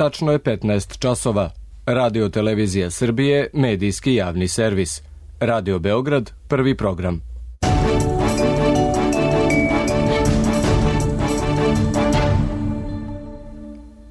Tačno je 15 časova. Radio Televizija Srbije, medijski javni servis. Radio Beograd, prvi program.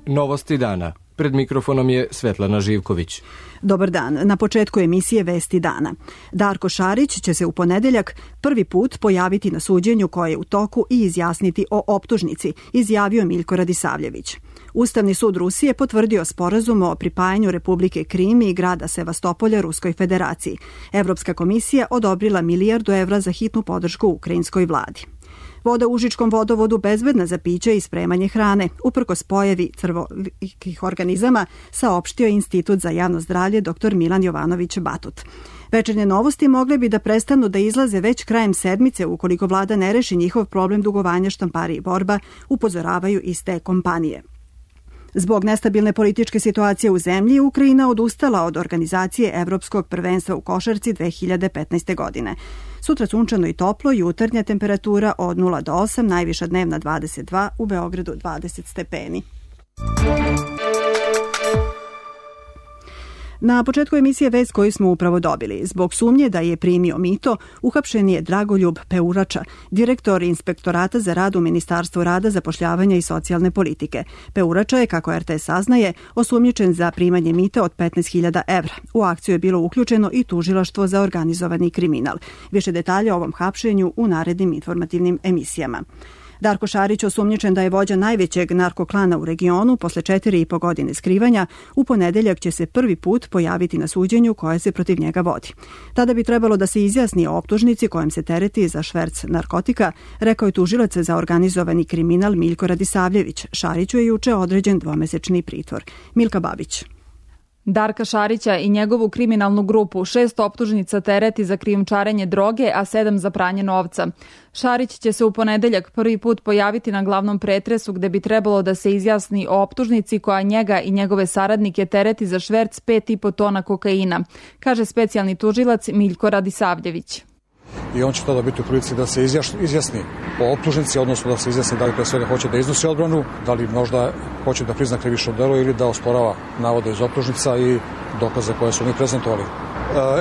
Novosti dana. Pred mikrofonom je Svetlana Živković. Dobar dan. Na početku emisije Vesti dana. Darko Šarić će se u ponedeljak prvi put pojaviti na suđenju koje je u toku i izjasniti o optužnici, izjavio Miljko Radisavljević. Ustavni sud Rusije potvrdio sporazum o pripajanju Republike Krim i grada Sevastopolja Ruskoj federaciji. Evropska komisija odobrila €1.000.000 za hitnu podršku ukrajinskoj vladi. Voda u Užičkom vodovodu bezbedna za piće i spremanje hrane, uprkos pojavi crvolikih organizama, saopštio Institut za javno zdravlje dr. Milan Jovanović Batut. Večernje novosti mogle bi da prestanu da izlaze već krajem sedmice ukoliko vlada ne reši njihov problem dugovanja Štampari i Borba, upozoravaju iz te kompanije. Zbog nestabilne političke situacije u zemlji, Ukrajina odustala od organizacije Evropskog prvenstva u košarci 2015. godine. Sutra sunčano i toplo, jutarnja temperatura od 0 do 8, najviša dnevna 22, u Beogradu 20 stepeni. Na početku emisije vest koju smo upravo dobili. Zbog sumnje da je primio mito, uhapšen je Dragoljub Peurača, direktor Inspektorata za rad u Ministarstvu rada, zapošljavanja i socijalne politike. Peurača je, kako RTS saznaje, osumnjičen za primanje mita od 15.000 evra. U akciju je bilo uključeno i tužilaštvo za organizovani kriminal. Više detalja o ovom hapšenju u narednim informativnim emisijama. Darko Šarić, osumnjičen da je vođa najvećeg narkoklana u regionu, posle 4,5 godine skrivanja, u ponedeljak će se prvi put pojaviti na suđenju koje se protiv njega vodi. Tada bi trebalo da se izjasni o optužnici kojom se tereti za šverc narkotika, rekao je tužilac za organizovani kriminal Miljko Radisavljević. Šariću je juče određen dvomesečni pritvor. Milka Babić. Darka Šarića i njegovu kriminalnu grupu 6 optužnica tereti za krijumčarenje droge, a 7 za pranje novca. Šarić će se u ponedeljak prvi put pojaviti na glavnom pretresu gde bi trebalo da se izjasni o optužnici koja njega i njegove saradnike tereti za šverc 5,5 tona kokaina, kaže specijalni tužilac Miljko Radisavljević. I on će tada biti u prilici da se izjasni o optužnici, odnosno da se izjasni da li pre svega hoće da iznosi odbranu, da li možda hoće da prizna krivično delo ili da osporava navode iz optužnica i dokaze koje su mi prezentovali.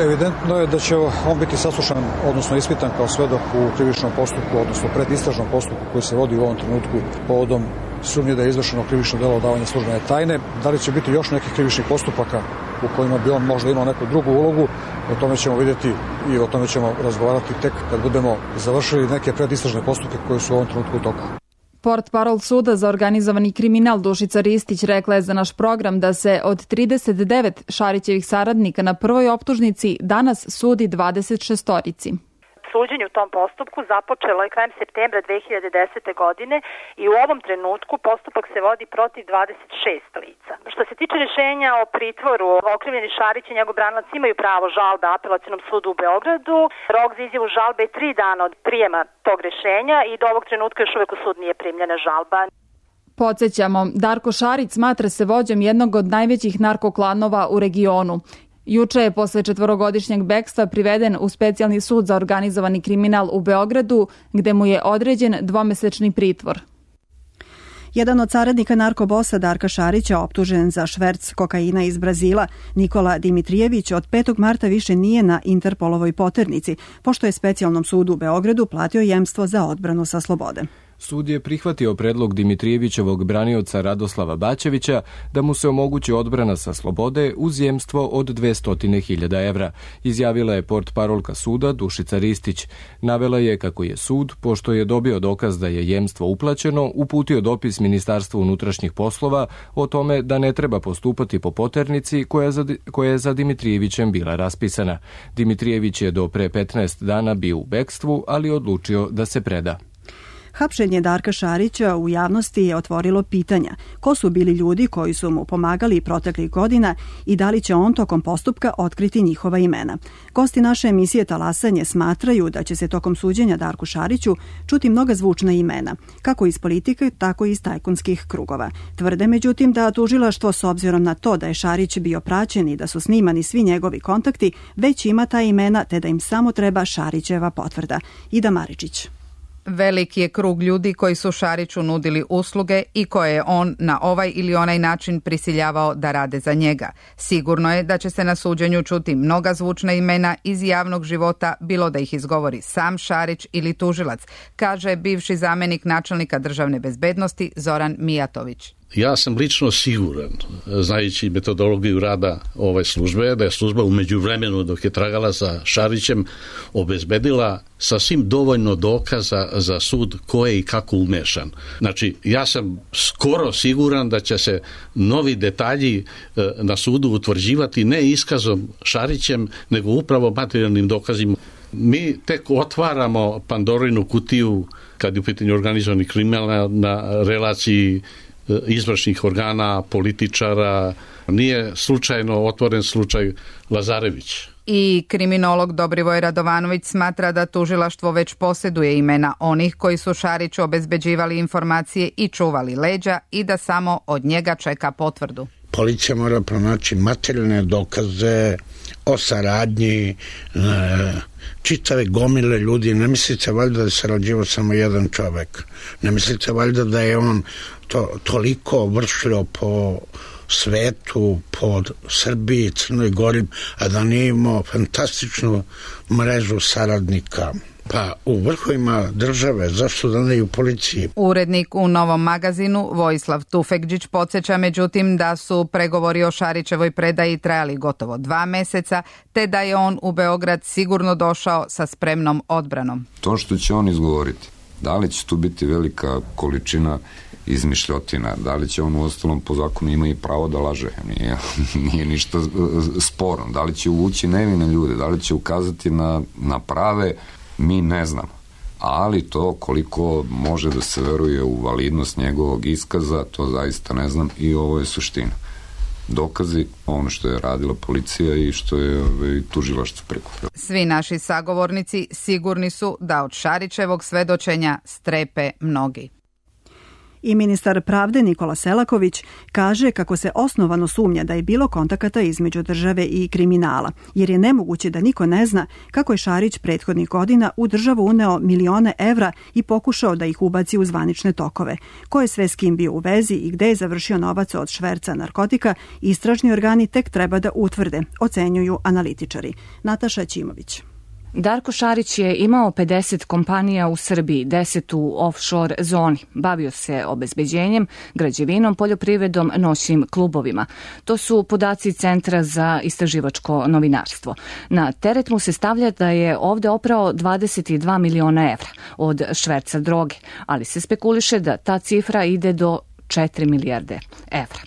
Evidentno je da će on biti saslušan, odnosno ispitan kao svedok u krivičnom postupku, odnosno predistražnom postupku koji se vodi u ovom trenutku povodom sumnje da je izvršeno krivično delo odavanja službene tajne. Da li će biti još nekih krivičnih postupaka u kojima bi on možda imao neku drugu ulogu, o tome ćemo vidjeti i o tome ćemo razgovarati tek kad budemo završili neke predistražne postupke koji su u ovom trenutku u toku. Portparol suda za organizovani kriminal Dušica Ristić rekla je za naš program da se od 39 Šarićevih saradnika na prvoj optužnici danas sudi 26-orici. Suđenje u tom postupku započelo je krajem septembra 2010. godine i u ovom trenutku postupak se vodi protiv 26 lica. Što se tiče rješenja o pritvoru, okrivljeni Šarić i njegov branilac imaju pravo žalbe Apelacionom sudu u Beogradu. Rok za izjavu žalbe je 3 dana od prijema tog rješenja i do ovog trenutka još uvijek u sud nije primljena žalba. Podsjećamo, Darko Šarić smatra se vođom jednog od najvećih narkoklanova u regionu. Juče je posle 4-godišnjeg bekstva priveden u specijalni sud za organizovani kriminal u Beogradu, gde mu je određen dvomesečni pritvor. Jedan od saradnika narkobosa Darka Šarića, optužen za šverc kokaina iz Brazila, Nikola Dimitrijević, od 5. marta više nije na Interpolovoj poternici, pošto je specijalnom sudu u Beogradu platio jemstvo za odbranu sa slobode. Sud je prihvatio predlog Dimitrijevićevog branioca Radoslava Bačevića da mu se omogući odbrana sa slobode uz jemstvo od 200.000 evra, izjavila je portparolka suda Dušica Ristić. Navela je kako je sud, pošto je dobio dokaz da je jemstvo uplaćeno, uputio dopis Ministarstvu unutrašnjih poslova o tome da ne treba postupati po poternici koja je za Dimitrijevićem bila raspisana. Dimitrijević je do pre 15 dana bio u bekstvu, ali odlučio da se preda. Hapšenje Darka Šarića u javnosti je otvorilo pitanja ko su bili ljudi koji su mu pomagali proteklih godina i da li će on tokom postupka otkriti njihova imena. Gosti naše emisije Talasanje smatraju da će se tokom suđenja Darku Šariću čuti mnoga zvučna imena, kako iz politike, tako i iz tajkunskih krugova. Tvrde međutim da tužilaštvo, s obzirom na to da je Šarić bio praćen i da su snimani svi njegovi kontakti, već ima ta imena te da im samo treba Šarićeva potvrda. Ida Maričić. Veliki je krug ljudi koji su Šariću nudili usluge i koje je on na ovaj ili onaj način prisiljavao da rade za njega. Sigurno je da će se na suđenju čuti mnoga zvučna imena iz javnog života, bilo da ih izgovori sam Šarić ili tužilac, kaže bivši zamenik načelnika državne bezbednosti Zoran Mijatović. Ja sam lično siguran, znajući metodologiju rada ove službe, da je služba u međuvremenu dok je tragala za Šarićem obezbedila sasvim dovoljno dokaza za sud ko je i kako umešan. Znači, ja sam skoro siguran da će se novi detalji na sudu utvrđivati ne iskazom Šarićem, nego upravo materijalnim dokazima. Mi tek otvaramo Pandorinu kutiju kad je u pitanju organizovani kriminal na relaciji izvršnih organa, političara. Nije slučajno otvoren slučaj Lazarević. I kriminolog Dobrivoj Radovanović smatra da tužilaštvo već posjeduje imena onih koji su Šariću obezbeđivali informacije i čuvali leđa i da samo od njega čeka potvrdu. Policija mora pronaći materijalne dokaze o saradnji čitave gomile ljudi. Ne mislite valjda da je sarađivao samo jedan čovek. Ne mislite valjda da je on toliko vršljao po svetu, po Srbiji, Crnoj Gori, a da nije imao fantastičnu mrežu saradnika. Pa u vrhovima države, zašto da ne i u policiji? Urednik u Novom magazinu Vojislav Tufekđić podsjeća međutim da su pregovori o Šarićevoj predaji trajali gotovo 2 meseca, te da je on u Beograd sigurno došao sa spremnom odbranom. To što će on izgovoriti, da li će tu biti velika količina izmišljotina, da li će on u ostalom po zakonu ima i pravo da laže, nije ništa sporno, da li će uvući nevine ljude, da li će ukazati na prave, mi ne znamo, ali to koliko može da se veruje u validnost njegovog iskaza, to zaista ne znam i ovo je suština. Dokazi, ono što je radila policija i što je tužilaštvo prikupilo. Svi naši sagovornici sigurni su da od Šarićevog svedočenja strepe mnogi. I ministar pravde Nikola Selaković kaže kako se osnovano sumnja da je bilo kontakata između države i kriminala, jer je nemoguće da niko ne zna kako je Šarić prethodnih godina u državu uneo milione evra i pokušao da ih ubaci u zvanične tokove. Ko je sve s kim bio u vezi i gde je završio novac od šverca narkotika, istražni organi tek treba da utvrde, ocenjuju analitičari. Nataša Ćimović. Darko Šarić je imao 50 kompanija u Srbiji, 10 u offshore zoni. Bavio se obezbeđenjem, građevinom, poljoprivredom, noćnim klubovima. To su podaci Centra za istraživačko novinarstvo. Na teret mu se stavlja da je ovde oprao 22 miliona evra od šverca droge, ali se spekuliše da ta cifra ide do 4 milijarde evra.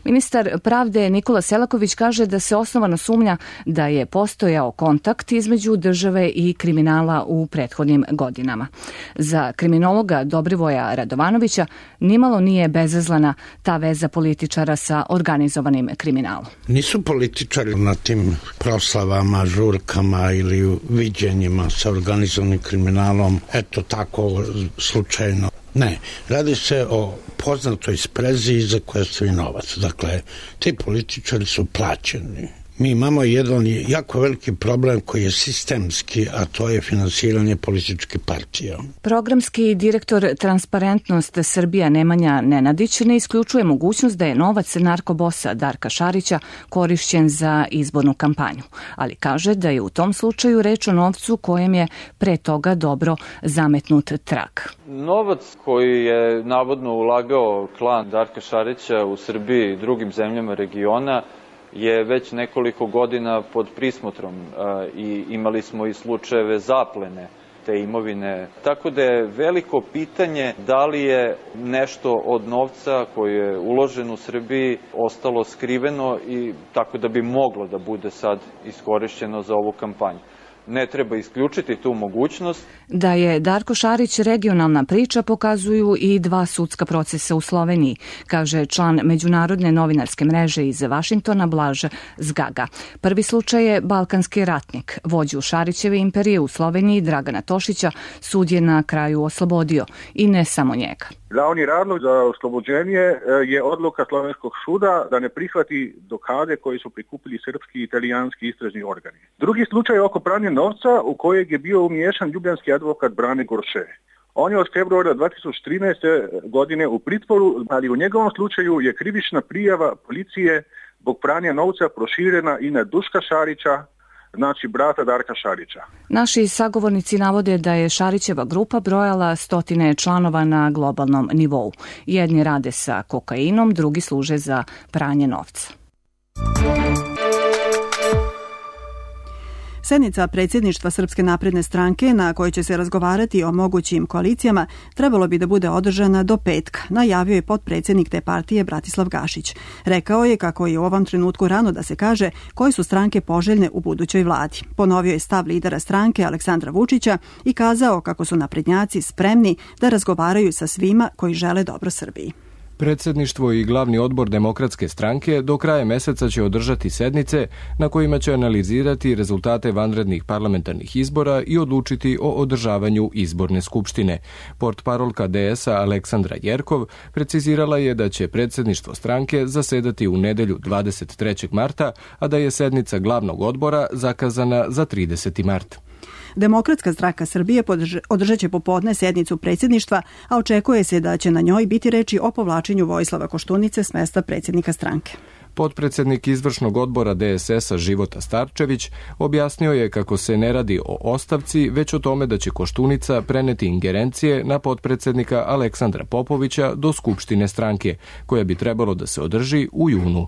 Ministar pravde Nikola Selaković kaže da se osnovano sumnja da je postojao kontakt između države i kriminala u prethodnim godinama. Za kriminologa Dobrivoja Radovanovića nimalo nije bezazlena ta veza političara sa organizovanim kriminalom. Nisu političari na tim proslavama, žurkama ili viđenjima sa organizovanim kriminalom, eto tako slučajno. Ne, radi se o poznatoj sprezi za koje stoji novac. Dakle, ti političari su plaćeni. Mi imamo jedan jako veliki problem koji je sistemski, a to je finansiranje političkih partija. Programski direktor Transparentnost Srbija Nemanja Nenadić ne isključuje mogućnost da je novac narkobosa Darka Šarića korišćen za izbornu kampanju, ali kaže da je u tom slučaju reč o novcu kojem je pre toga dobro zametnut trag. Novac koji je navodno ulagao klan Darka Šarića u Srbiji i drugim zemljama regiona je već nekoliko godina pod prismotrom i imali smo i slučajeve zaplene te imovine. Tako da je veliko pitanje da li je nešto od novca koji je uložen u Srbiji ostalo skriveno i tako da bi moglo da bude sad iskorišćeno za ovu kampanju. Ne treba isključiti tu mogućnost. Da je Darko Šarić regionalna priča pokazuju i 2 sudska procesa u Sloveniji, kaže član Međunarodne novinarske mreže iz Vašingtona Blaž Zgaga. Prvi slučaj je Balkanski ratnik. Vođu Šarićeve imperije u Sloveniji Dragana Tošića sud je na kraju oslobodio i ne samo njega. Glavni razlog za oslobođenje je odluka slovenskog suda da ne prihvati dokaze koje su prikupili srpski i italijanski istražni organi. Drugi slučaj je oko pranja novca u kojeg je bio umiješan ljubljanski advokat Brane Gorše. On je od februara 2013. godine u pritvoru, ali u njegovom slučaju je krivična prijava policije zbog pranja novca proširena i na Duška Šarića, znači brata Darka Šarića. Naši sagovornici navode da je Šarićeva grupa brojala stotine članova na globalnom nivou. Jedni rade sa kokainom, drugi služe za pranje novca. Sednica predsjedništva Srpske napredne stranke na kojoj će se razgovarati o mogućim koalicijama trebalo bi da bude održana do petka, najavio je potpredsjednik te partije Bratislav Gašić. Rekao je kako je u ovom trenutku rano da se kaže koje su stranke poželjne u budućoj vladi. Ponovio je stav lidera stranke Aleksandra Vučića i kazao kako su naprednjaci spremni da razgovaraju sa svima koji žele dobro Srbiji. Predsjedništvo i glavni odbor Demokratske stranke do kraja meseca će održati sednice na kojima će analizirati rezultate vanrednih parlamentarnih izbora i odlučiti o održavanju izborne skupštine. Portparolka DS-a Aleksandra Jerkov precizirala je da će predsjedništvo stranke zasedati u nedelju 23. marta, a da je sednica glavnog odbora zakazana za 30. mart. Demokratska stranka Srbije održat će popodne sednicu predsjedništva, a očekuje se da će na njoj biti reči o povlačenju Vojislava Koštunice s mesta predsjednika stranke. Potpredsjednik izvršnog odbora DSS-a Života Starčević objasnio je kako se ne radi o ostavci, već o tome da će Koštunica preneti ingerencije na potpredsjednika Aleksandra Popovića do skupštine stranke, koja bi trebalo da se održi u junu.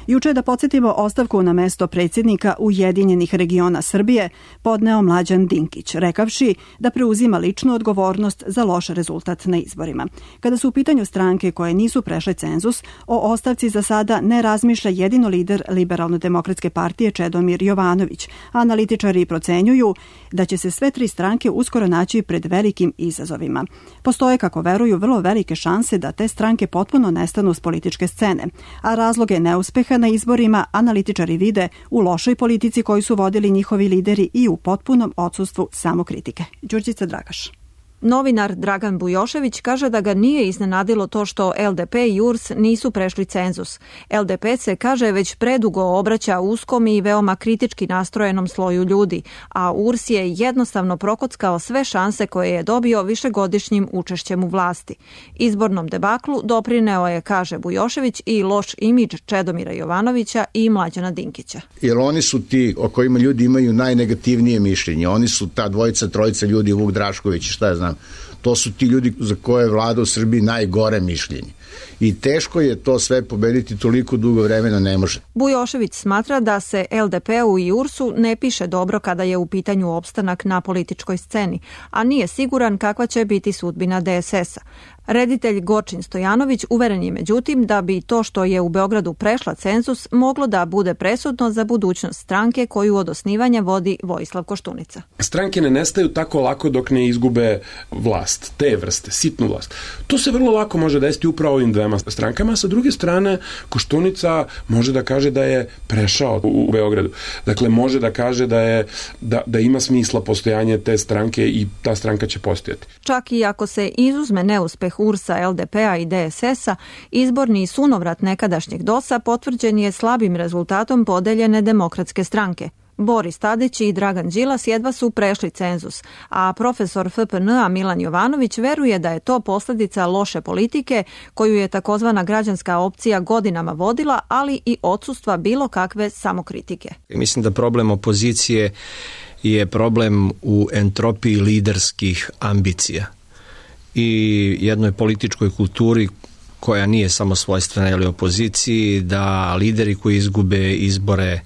Juče, da podsjetimo, ostavku na mesto predsjednika Ujedinjenih regiona Srbije podneo Mlađan Dinkić, rekavši da preuzima ličnu odgovornost za loš rezultat na izborima. Kada su u pitanju stranke koje nisu prešle cenzus, o ostavci za sada ne razmišlja jedino lider Liberalno-demokratske partije Čedomir Jovanović. Analitičari procenjuju da će se sve tri stranke uskoro naći pred velikim izazovima. Postoje, kako veruju, vrlo velike šanse da te stranke potpuno nestanu s političke scene, a razloge neuspeha na izborima analitičari vide u lošoj politici koju su vodili njihovi lideri i u potpunom odsustvu samokritike. Đurđica Dragaš. Novinar Dragan Bujošević kaže da ga nije iznenadilo to što LDP i URS nisu prešli cenzus. LDP se, kaže, već predugo obraća uskom i veoma kritički nastrojenom sloju ljudi, a URS je jednostavno prokockao sve šanse koje je dobio višegodišnjim učešćem u vlasti. Izbornom debaklu doprineo je, kaže Bujošević, i loš imidž Čedomira Jovanovića i Mlađana Dinkića. Jer oni su ti o kojima ljudi imaju najnegativnije mišljenje. Oni su ta dvojica, trojica ljudi, Vuk Drašković, šta ja znam. To su ti ljudi za koje je vlada u Srbiji najgore mišljenje. I teško je to sve pobediti, toliko dugo vremena ne može. Bujošević smatra da se LDP-u i URS-u ne piše dobro kada je u pitanju opstanak na političkoj sceni, a nije siguran kakva će biti sudbina DSS-a. Reditelj Gorčin Stojanović uveren je međutim da bi to što je u Beogradu prešla cenzus moglo da bude presudno za budućnost stranke koju od osnivanja vodi Vojislav Koštunica. Stranke ne nestaju tako lako dok ne izgube vlast, te vrste, sitnu vlast. To se vrlo lako može desiti upravo ovim dvema strankama. Sa druge strane, Koštunica može da kaže da je prešao u Beogradu. Dakle, može da kaže da ima smisla postojanje te stranke i ta stranka će postojati. Čak i ako se izuzme neuspeh URS-a, LDP-a i DSS-a, izborni sunovrat nekadašnjeg DOS-a potvrđen je slabim rezultatom podeljene Demokratske stranke. Boris Tadić i Dragan Đilas jedva su prešli cenzus, a profesor FPN-a Milan Jovanović veruje da je to posljedica loše politike koju je takozvana građanska opcija godinama vodila, ali i odsustva bilo kakve samokritike. Mislim da problem opozicije je problem u entropiji liderskih ambicija i jednoj političkoj kulturi koja nije samo svojstvena ili opoziciji, da lideri koji izgube izbore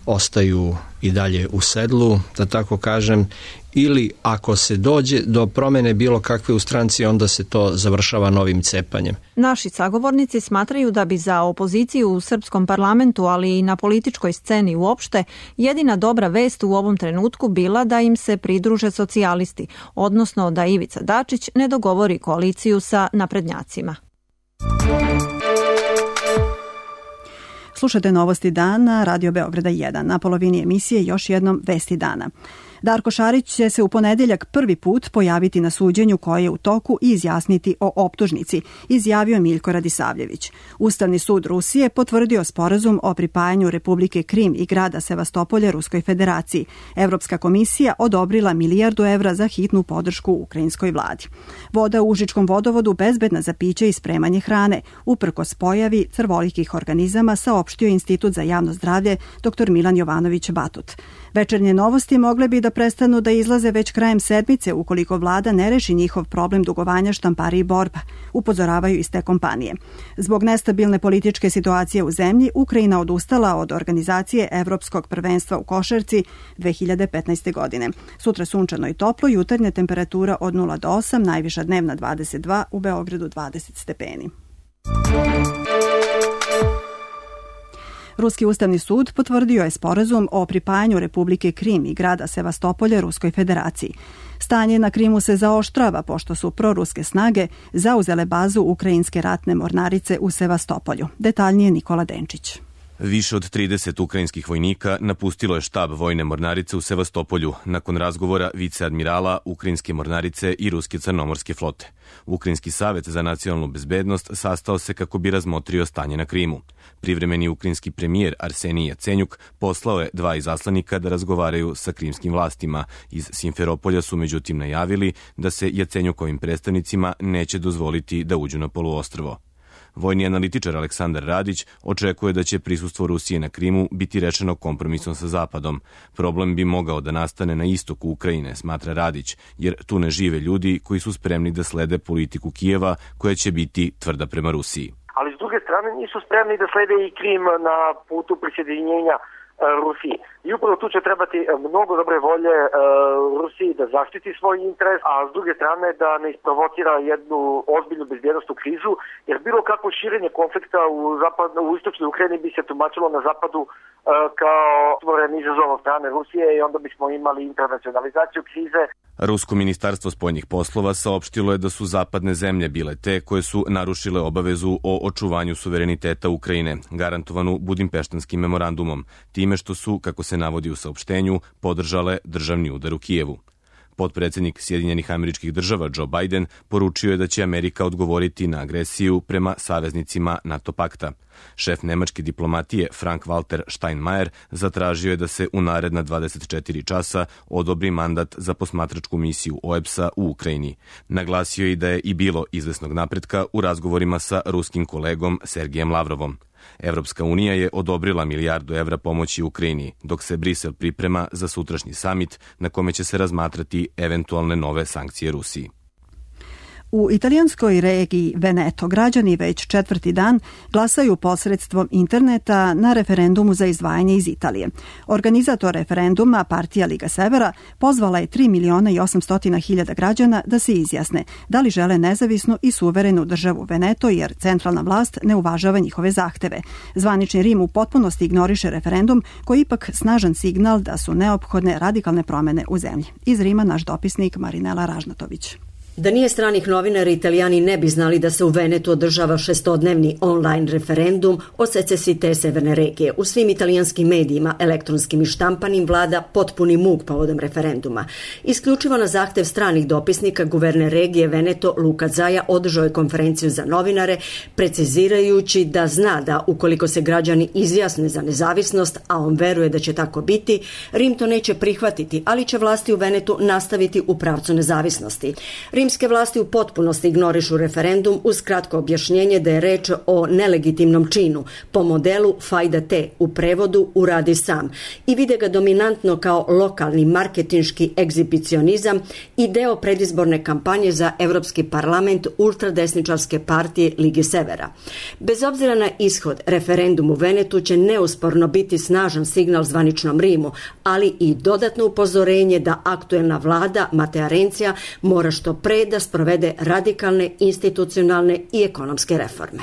ostaju i dalje u sedlu, da tako kažem, ili ako se dođe do promene bilo kakve u stranci, onda se to završava novim cepanjem. Naši sagovornici smatraju da bi za opoziciju u srpskom parlamentu, ali i na političkoj sceni uopšte, jedina dobra vest u ovom trenutku bila da im se pridruže socijalisti, odnosno da Ivica Dačić ne dogovori koaliciju sa naprednjacima. Slušate Novosti dana, Radio Beograda 1. Na polovini emisije još jednom Vesti dana. Darko Šarić će se u ponedeljak prvi put pojaviti na suđenju koje je u toku i izjasniti o optužnici, izjavio Miljko Radisavljević. Ustavni sud Rusije potvrdio sporazum o pripajanju Republike Krim i grada Sevastopolja Ruskoj federaciji. Evropska komisija odobrila milijardu evra za hitnu podršku ukrajinskoj vladi. Voda u Užičkom vodovodu bezbedna za piće i spremanje hrane, uprkos pojavi crvolikih organizama, saopštio Institut za javno zdravlje dr. Milan Jovanović Batut. Večernje novosti mogle bi da prestanu da izlaze već krajem sedmice ukoliko vlada ne reši njihov problem dugovanja Štampariji Borba, upozoravaju iz te kompanije. Zbog nestabilne političke situacije u zemlji, Ukrajina odustala od organizacije Evropskog prvenstva u košarci 2015. godine. Sutra sunčano i toplo, jutarnja temperatura od 0 do 8, najviša dnevna 22, u Beogradu 20 stepeni. Ruski ustavni sud potvrdio je sporazum o pripajanju Republike Krim i grada Sevastopolja Ruskoj federaciji. Stanje na Krimu se zaoštrava pošto su proruske snage zauzele bazu ukrajinske ratne mornarice u Sevastopolju. Detaljnije Nikola Denčić. Više od 30 ukrajinskih vojnika napustilo je štab vojne mornarice u Sevastopolju nakon razgovora viceadmirala ukrajinske mornarice i ruske crnomorske flote. Ukrajinski savet za nacionalnu bezbednost sastao se kako bi razmotrio stanje na Krimu. Privremeni ukrajinski premijer Arsenij Jacenjuk poslao je 2 izaslanika da razgovaraju sa krimskim vlastima. Iz Simferopolja su međutim najavili da se Jacenjukovim predstavnicima neće dozvoliti da uđu na poluostrvo. Vojni analitičar Aleksandar Radić očekuje da će prisustvo Rusije na Krimu biti rešeno kompromisom sa Zapadom. Problem bi mogao da nastane na istoku Ukrajine, smatra Radić, jer tu ne žive ljudi koji su spremni da slede politiku Kijeva koja će biti tvrda prema Rusiji. Ali s druge strane nisu spremni da slede i Krim na putu prisjedinjenja Rusiji. I upravo tu će trebati mnogo dobre volje Rusiji da zaštiti svoj interes, a s druge strane da ne isprovocira jednu ozbiljnu bezbjednostnu krizu, jer bilo kakvo širenje konflikta u istočnoj Ukrajini bi se tumačilo na zapadu kao stvoren izazov od strane Rusije i onda bismo imali internacionalizaciju krize. Rusko ministarstvo spoljnih poslova saopštilo je da su zapadne zemlje bile te koje su narušile obavezu o očuvanju suvereniteta Ukrajine, garantovanu Budimpeštanskim memorandumom, time što su, kako se navodi u saopštenju, podržale državni udar u Kijevu. Potpredsjednik Sjedinjenih Američkih Država Joe Biden poručio je da će Amerika odgovoriti na agresiju prema saveznicima NATO pakta. Šef nemačke diplomatije Frank-Walter Steinmeier zatražio je da se u naredna 24 časa odobri mandat za posmatračku misiju OEBS-a u Ukrajini. Naglasio je i da je i bilo izvesnog napretka u razgovorima sa ruskim kolegom Sergejem Lavrovom. Evropska unija je odobrila milijardu evra pomoći Ukrajini, dok se Brisel priprema za sutrašnji samit na kome će se razmatrati eventualne nove sankcije Rusiji. U italijanskoj regiji Veneto građani već 4. dan glasaju posredstvom interneta na referendumu za izdvajanje iz Italije. Organizator referenduma, partija Liga Severa, pozvala je 3.800.000 građana da se izjasne da li žele nezavisnu i suverenu državu Veneto, jer centralna vlast ne uvažava njihove zahteve. Zvanični Rim u potpunosti ignoriše referendum, koji je ipak snažan signal da su neophodne radikalne promene u zemlji. Iz Rima naš dopisnik Marinela Ražnatović. Da nije stranih novinara, Italijani ne bi znali da se u Venetu održava 6-dnevni online referendum o secesiji te severne regije. U svim italijanskim medijima, elektronskim i štampanim, vlada potpuni muk povodom referenduma. Isključivo na zahtev stranih dopisnika, guverner regije Veneto Luca Zaia održao je konferenciju za novinare, precizirajući da zna da ukoliko se građani izjasne za nezavisnost, a on veruje da će tako biti, Rim to neće prihvatiti, ali će vlasti u Venetu nastaviti u pravcu nezavisnosti. Rimske vlasti u potpunosti ignorišu referendum uz kratko objašnjenje da je reč o nelegitimnom činu po modelu fajda te, u prevodu uradi sam, i vide ga dominantno kao lokalni marketinški egzibicionizam i deo predizborne kampanje za Evropski parlament ultradesničarske partije Lige Severa. Bez obzira na ishod, referendum u Venetu će neusporno biti snažan signal zvaničnom Rimu, ali i dodatno upozorenje da aktuelna vlada Matea Renzija mora što pre da sprovede radikalne institucionalne i ekonomske reforme.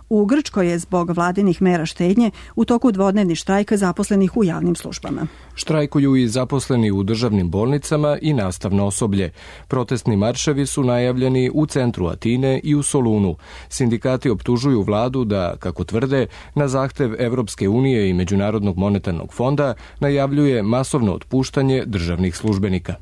U Grčkoj je zbog vladinih mera štednje u toku dvodnevni štrajk zaposlenih u javnim službama. Štrajkuju i zaposleni u državnim bolnicama i nastavno osoblje. Protestni marševi su najavljeni u centru Atine i u Solunu. Sindikati optužuju vladu da, kako tvrde, na zahtev Evropske unije i Međunarodnog monetarnog fonda najavljuje masovno otpuštanje državnih službenika.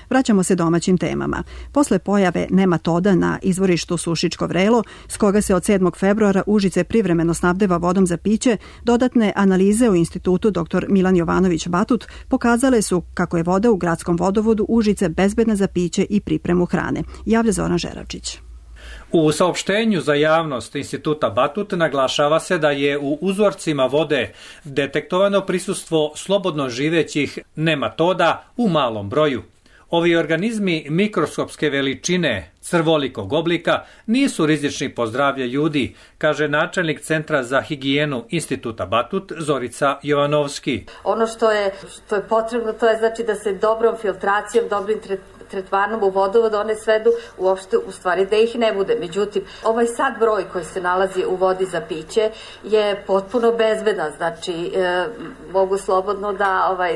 Vraćamo se domaćim temama. Posle pojave nematoda na izvorištu Sušičko Vrelo, s koga se od 7. februara Užice privremeno snabdeva vodom za piće, dodatne analize u institutu dr. Milan Jovanović Batut pokazale su kako je voda u gradskom vodovodu Užice bezbedna za piće i pripremu hrane. Javlja Zoran Žeravčić. U saopštenju za javnost Instituta Batut naglašava se da je u uzorcima vode detektovano prisustvo slobodno živećih nematoda u malom broju. Ovi organizmi mikroskopske veličine, crvolikog oblika, nisu rizični po zdravlje ljudi, kaže načelnik Centra za higijenu Instituta Batut Zorica Jovanovski. Ono što je potrebno, to je znači da se dobrom filtracijom, dobrim tretmanom u vodovodu one svedu uopšte u stvari da ih ne bude. Međutim, ovaj sad broj koji se nalazi u vodi za piće je potpuno bezbedan. Znači, mogu slobodno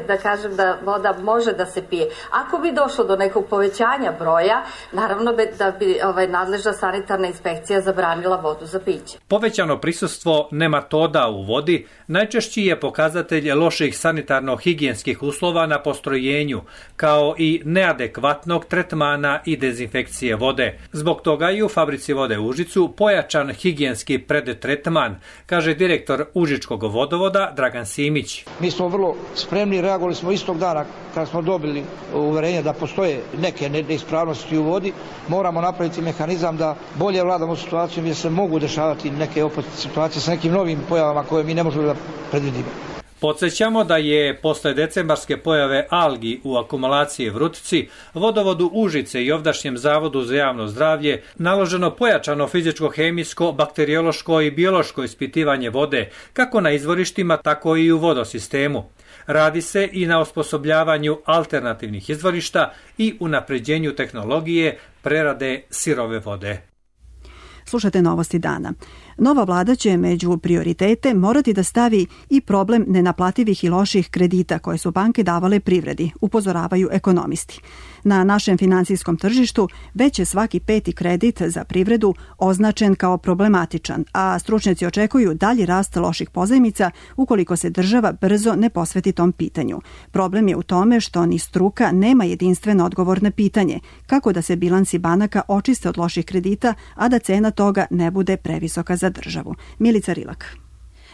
da kažem da voda može da se pije. Ako bi došlo do nekog povećanja broja, naravno da bi nadležna sanitarna inspekcija zabranila vodu za piće. Povećano prisustvo nematoda u vodi najčešći je pokazatelj loših sanitarno-higijenskih uslova na postrojenju, kao i neadekvatnog tretmana i dezinfekcije vode. Zbog toga i u fabrici vode u Užicu pojačan higijenski predtretman, kaže direktor Užičkog vodovoda Dragan Simić. Mi smo vrlo spremni, reagovali smo istog dana kad smo dobili uverenje da postoje neke neispravnosti u vodi. Moramo napraviti mehanizam da bolje vladamo situacijom jer se mogu dešavati neke opet situacije sa nekim novim pojavama koje mi ne možemo da predvidimo. Podsjećamo da je posle decembarske pojave algi u akumulaciji Vrutici, vodovodu Užice i ovdašnjem Zavodu za javno zdravlje naloženo pojačano fizičko-hemijsko, bakteriološko i biološko ispitivanje vode, kako na izvorištima, tako i u vodosistemu. Radi se i na osposobljavanju alternativnih izvorišta i unapređenju tehnologije prerade sirove vode. Slušate Novosti dana. Nova vlada će među prioritete morati da stavi i problem nenaplativih i loših kredita koje su banke davale privredi, upozoravaju ekonomisti. Na našem finansijskom tržištu već je svaki 5. kredit za privredu označen kao problematičan, a stručnjaci očekuju dalji rast loših pozajmica ukoliko se država brzo ne posveti tom pitanju. Problem je u tome što ni struka nema jedinstven odgovor na pitanje kako da se bilansi banaka očiste od loših kredita, a da cena toga ne bude previsoka za državu. Milica Rilak.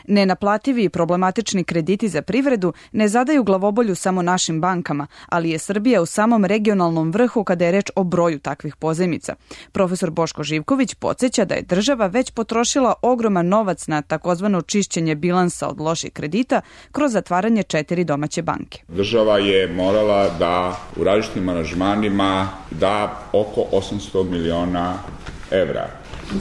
Nenaplativi i problematični krediti za privredu ne zadaju glavobolju samo našim bankama, ali je Srbija u samom regionalnom vrhu kada je reč o broju takvih pozajmica. Profesor Boško Živković podsjeća da je država već potrošila ogroman novac na takozvano čišćenje bilansa od loših kredita kroz zatvaranje 4 domaće banke. Država je morala da u različitim aranžmanima da oko 800 miliona evra.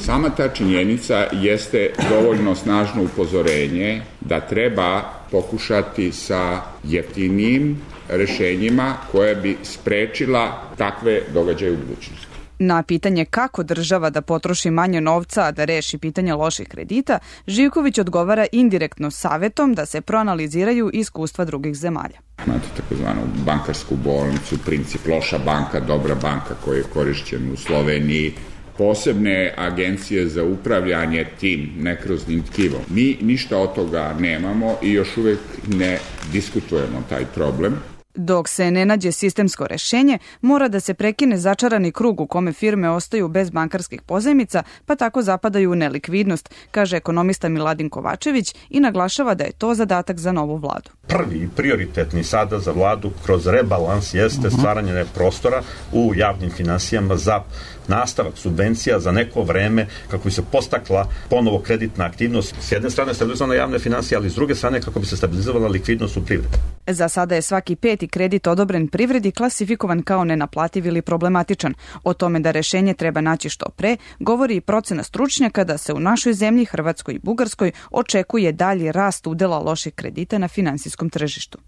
Sama ta činjenica jeste dovoljno snažno upozorenje da treba pokušati sa jeftinijim rešenjima koje bi sprečila takve događaje u budućnosti. Na pitanje kako država da potroši manje novca, a da reši pitanje loših kredita, Živković odgovara indirektno savjetom da se proanaliziraju iskustva drugih zemalja. Imate takozvanu bankarsku bolnicu, princip loša banka, dobra banka koji je korišćen u Sloveniji, posebne agencije za upravljanje tim nekroznim tkivom. Mi ništa od toga nemamo i još uvek ne diskutujemo taj problem. Dok se ne nađe sistemsko rešenje, mora da se prekine začarani krug u kome firme ostaju bez bankarskih pozajmica, pa tako zapadaju u nelikvidnost, kaže ekonomista Miladin Kovačević i naglašava da je to zadatak za novu vladu. Prvi prioritetni sada za vladu kroz rebalans jeste stvaranje prostora u javnim finansijama za nastavak subvencija za neko vreme kako bi se postakla ponovo kreditna aktivnost. S jedne strane stabilizovala javne finansije, ali s druge strane kako bi se stabilizovala likvidnost u privredi. Za sada je svaki 5. kredit odobren privredi klasifikovan kao nenaplativ ili problematičan. O tome da rešenje treba naći što pre, govori i procena stručnjaka da se u našoj zemlji, Hrvatskoj i Bugarskoj, očekuje dalji rast udela loših kredita na finansijskom tržištu.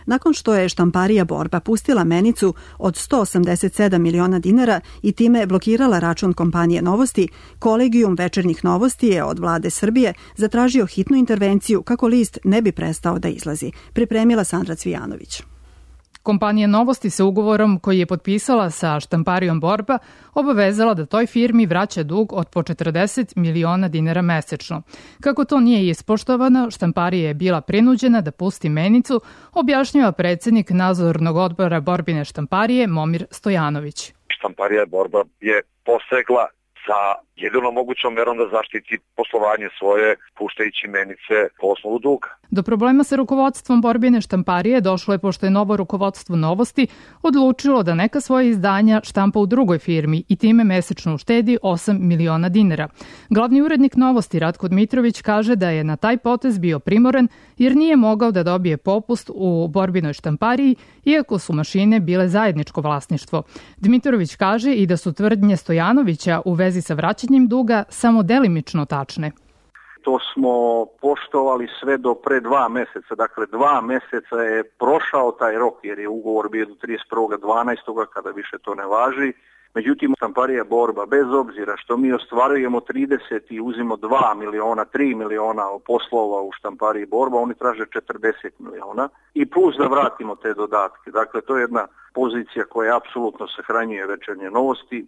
Nakon što je štamparija Borba pustila menicu od 187 miliona dinara i time blokirala račun kompanije Novosti, Kolegijum večernjih novosti je od vlade Srbije zatražio hitnu intervenciju kako list ne bi prestao da izlazi. Pripremila Sandra Cvijanović. Kompanija Novosti se ugovorom koji je potpisala sa štamparijom Borba obavezala da toj firmi vraća dug od po 40 miliona dinara mesečno. Kako to nije ispoštovano, štamparija je bila prinuđena da pusti menicu, objašnjava predsjednik nadzornog odbora Borbine štamparije Momir Stojanović. Štamparija Borba je posegla sa jedinom mogućom merom da zaštiti poslovanje svoje, puštajući menice po osnovu duga. Do problema sa rukovodstvom Borbine štamparije došlo je pošto je novo rukovodstvo Novosti odlučilo da neka svoje izdanja štampa u drugoj firmi i time mesečno uštedi 8 miliona dinara. Glavni urednik Novosti Ratko Dmitrović kaže da je na taj potez bio primoren jer nije mogao da dobije popust u Borbinoj štampariji iako su mašine bile zajedničko vlasništvo. Dmitrović kaže i da su tvrdnje Stojanovića u vezi sa vraćanjem duga samo delimično tačne. To smo poštovali sve do pre 2 meseca. Dakle, 2 meseca je prošao taj rok jer je ugovor bio do 31.12. kada više to ne važi. Međutim, štamparija Borba, bez obzira što mi ostvarujemo 30 i uzimo 2 miliona, 3 miliona poslova u štampariji Borba, oni traže 40 miliona i plus da vratimo te dodatke. Dakle, to je jedna pozicija koja apsolutno sahranjuje večernje novosti.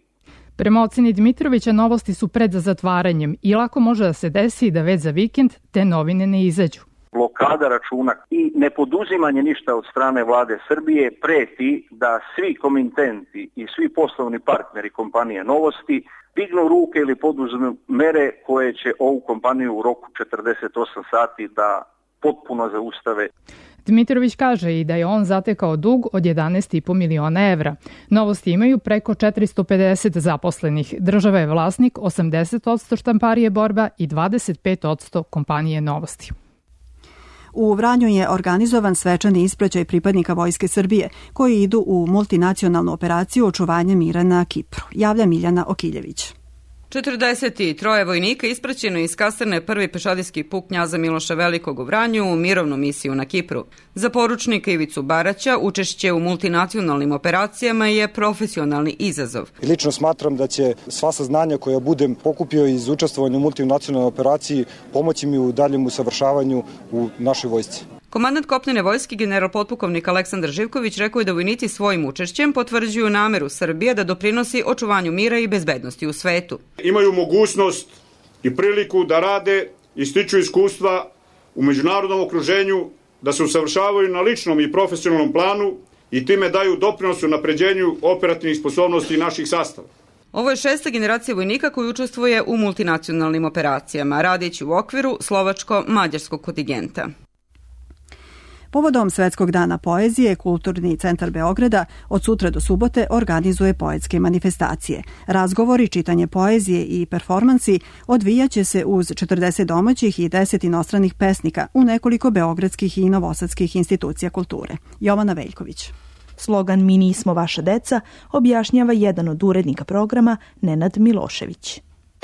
Prema oceni Dmitrovića, Novosti su pred zatvaranjem i lako može da se desi da već za vikend te novine ne izađu. Blokada računa i nepoduzimanje ništa od strane vlade Srbije preti da svi komitenti i svi poslovni partneri kompanije Novosti dignu ruke ili poduzmu mere koje će ovu kompaniju u roku 48 sati da potpuno zaustave. Dmitrović kaže i da je on zatekao dug od 11,5 miliona evra. Novosti imaju preko 450 zaposlenih. Država je vlasnik 80% štamparije Borba i 25% kompanije Novosti. U Vranju je organizovan svečani ispraćaj pripadnika Vojske Srbije koji idu u multinacionalnu operaciju očuvanja mira na Kipru. Javlja Miljana Okiljević. 43 vojnika ispraćeno iz kasarne prvi pešadijski puk knjaza Miloša Velikog u Vranju u mirovnu misiju na Kipru. Za poručnika Ivicu Baraća učešće u multinacionalnim operacijama je profesionalni izazov. Lično smatram da će sva saznanja koja budem pokupio iz učestvovanja u multinacionalnoj operaciji pomoći mi u daljem usavršavanju u našoj vojsci. Komandant kopnene vojske general potpukovnik Aleksandar Živković rekao je da vojnici svojim učešćem potvrđuju nameru Srbije da doprinosi očuvanju mira i bezbednosti u svetu. Imaju mogućnost i priliku da rade i stiču iskustva u međunarodnom okruženju, da se usavršavaju na ličnom i profesionalnom planu i time daju doprinos u napređenju operativnih sposobnosti naših sastava. Ovo je 6. generacija vojnika koji učestvuje u multinacionalnim operacijama, radeći u okviru slovačko-mađarskog kontingenta. Povodom Svetskog dana poezije, Kulturni centar Beograda od sutra do subote organizuje poetske manifestacije. Razgovori, čitanje poezije i performansi odvijaće se uz 40 domaćih i 10 inostranih pesnika u nekoliko beogradskih i novosadskih institucija kulture. Jovana Veljković. Slogan Mi nismo vaša deca objašnjava jedan od urednika programa Nenad Milošević.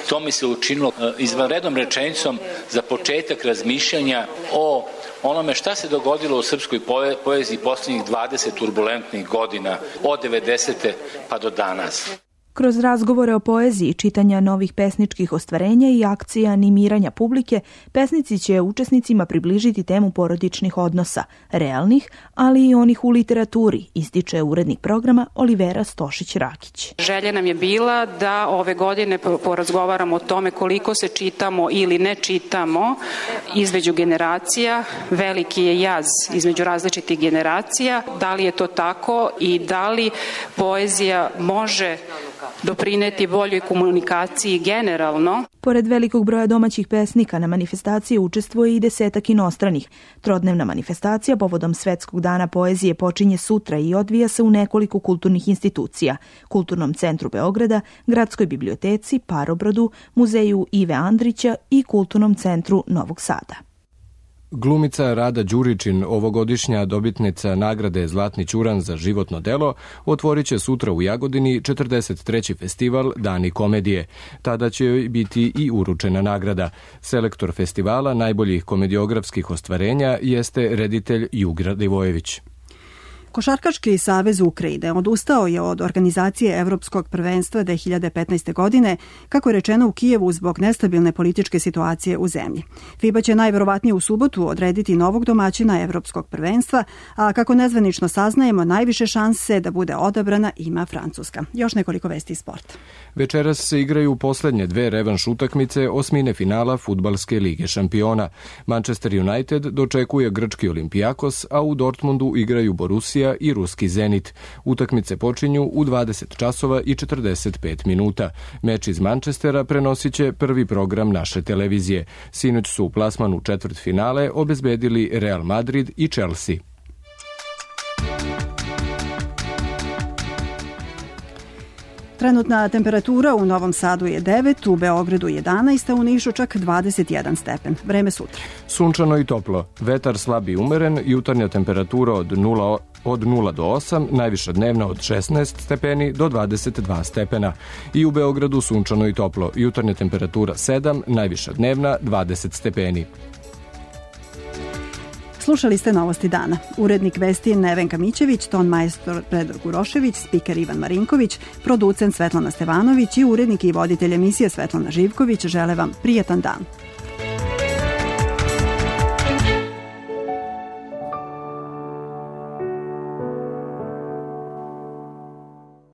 To mi se učinilo izvanrednom rečenicom za početak razmišljanja o onome šta se dogodilo u srpskoj poeziji posljednjih 20 turbulentnih godina, od 90. pa do danas. Kroz razgovore o poeziji, čitanja novih pesničkih ostvarenja i akcija animiranja publike, pesnici će učesnicima približiti temu porodičnih odnosa, realnih, ali i onih u literaturi, ističe urednik programa Olivera Stošić-Rakić. Želja nam je bila da ove godine porazgovaramo o tome koliko se čitamo ili ne čitamo između generacija. Veliki je jaz između različitih generacija. Da li je to tako i da li poezija može doprineti boljoj komunikaciji generalno. Pored velikog broja domaćih pesnika na manifestaciji učestvuje i 10 inostranih. Trodnevna manifestacija povodom Svetskog dana poezije počinje sutra i odvija se u nekoliko kulturnih institucija, Kulturnom centru Beograda, Gradskoj biblioteci, Parobrodu, Muzeju Ive Andrića i Kulturnom centru Novog Sada. Glumica Rada Đuričin, ovogodišnja dobitnica nagrade Zlatni ćuran za životno delo, otvorit će sutra u Jagodini 43. festival Dani komedije. Tada će joj biti i uručena nagrada. Selektor festivala najboljih komediografskih ostvarenja jeste reditelj Jugra Divojević. Košarkaški savez Ukrajine odustao je od organizacije Evropskog prvenstva 2015. godine, kako je rečeno u Kijevu zbog nestabilne političke situacije u zemlji. FIBA će najverovatnije u subotu odrediti novog domaćina Evropskog prvenstva, a kako nezvanično saznajemo, najviše šanse da bude odabrana ima Francuska. Još nekoliko vesti iz sporta. Večeras se igraju poslednje dve revanš utakmice osmine finala Fudbalske lige šampiona. Manchester United dočekuje grčki Olympiakos, a u Dortmundu igraju Borussia i ruski Zenit. Utakmice počinju u 20 časova i 45 minuta. Meč iz Manchestera prenosit će prvi program naše televizije. Sinoć su plasman u četvrtfinale obezbedili Real Madrid i Chelsea. Trenutna temperatura u Novom Sadu je 9, u Beogradu 11, a u Nišu čak 21 stepen. Vreme sutra. Sunčano i toplo. Vetar slab i umeren, jutarnja temperatura od 0 do 8, najviša dnevna od 16 stepeni do 22 stepena. I u Beogradu sunčano i toplo. Jutarnja temperatura 7, najviša dnevna 20 stepeni. Slušali ste Novosti dana. Urednik vesti Nevenka Mićević, ton majstor Predrag Urošević, spiker Ivan Marinković, producent Svetlana Stevanović i urednik i voditelj emisije Svetlana Živković žele vam prijetan dan.